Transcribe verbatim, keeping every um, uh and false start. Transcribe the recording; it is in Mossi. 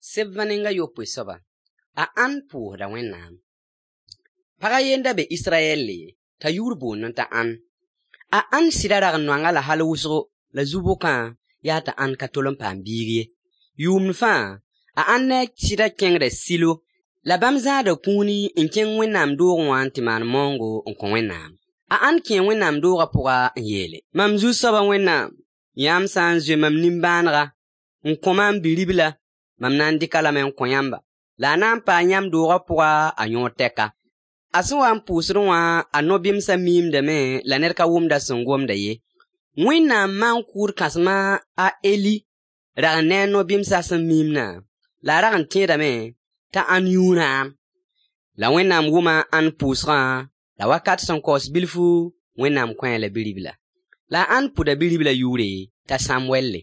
Sebã neng a yopoe soaba, a Ãn pʋʋsda Wẽnnaam. Pag a ye n da be Israyɛlle t'a yʋʋr boondẽ t'a Ãn. A Ãn sɩda rag n noanga la hal wʋsgo la zu-bʋkã yaa t'a Ãn ka tol n paam biig ye. Yʋʋmd fãa, a Ãn ne a sɩda kẽngda Silo, la bãmb zãada kũuni n kẽng Wẽnnaam doogẽ wã n tɩ maan maoongo n kõ Wẽnnaam. A Ãn kẽe Wẽnnaam doogã pʋga n yeele: Mam Zu-soaba Wẽnnaam, yãmb sã n zoe mam nimbãanega n kõ maam bi-ribla, mam na n dɩk-a lame n kõ yãmba, la a na n paa yãmb doogã pʋga a yõod tɛka. A sẽn wa n pʋʋsdẽ wã, a no-bɩmsã miimdame la ned ka wʋmd a sẽn gomda ye. Wẽnnaam maan-kʋʋd kãsem a Eli rag n ne a no-bɩmsã sẽn miimdã, la a rag n tẽedame t'a Ãn yũu rãam. La Wẽnnaam wʋma a Ãn pʋʋsgã, la wakat sẽn kaoos bilfu, Wẽnnaam kõ-a la bi-ribla. La a Ãn pʋda bi-riblã yʋʋre t'a Sãmwɛlle.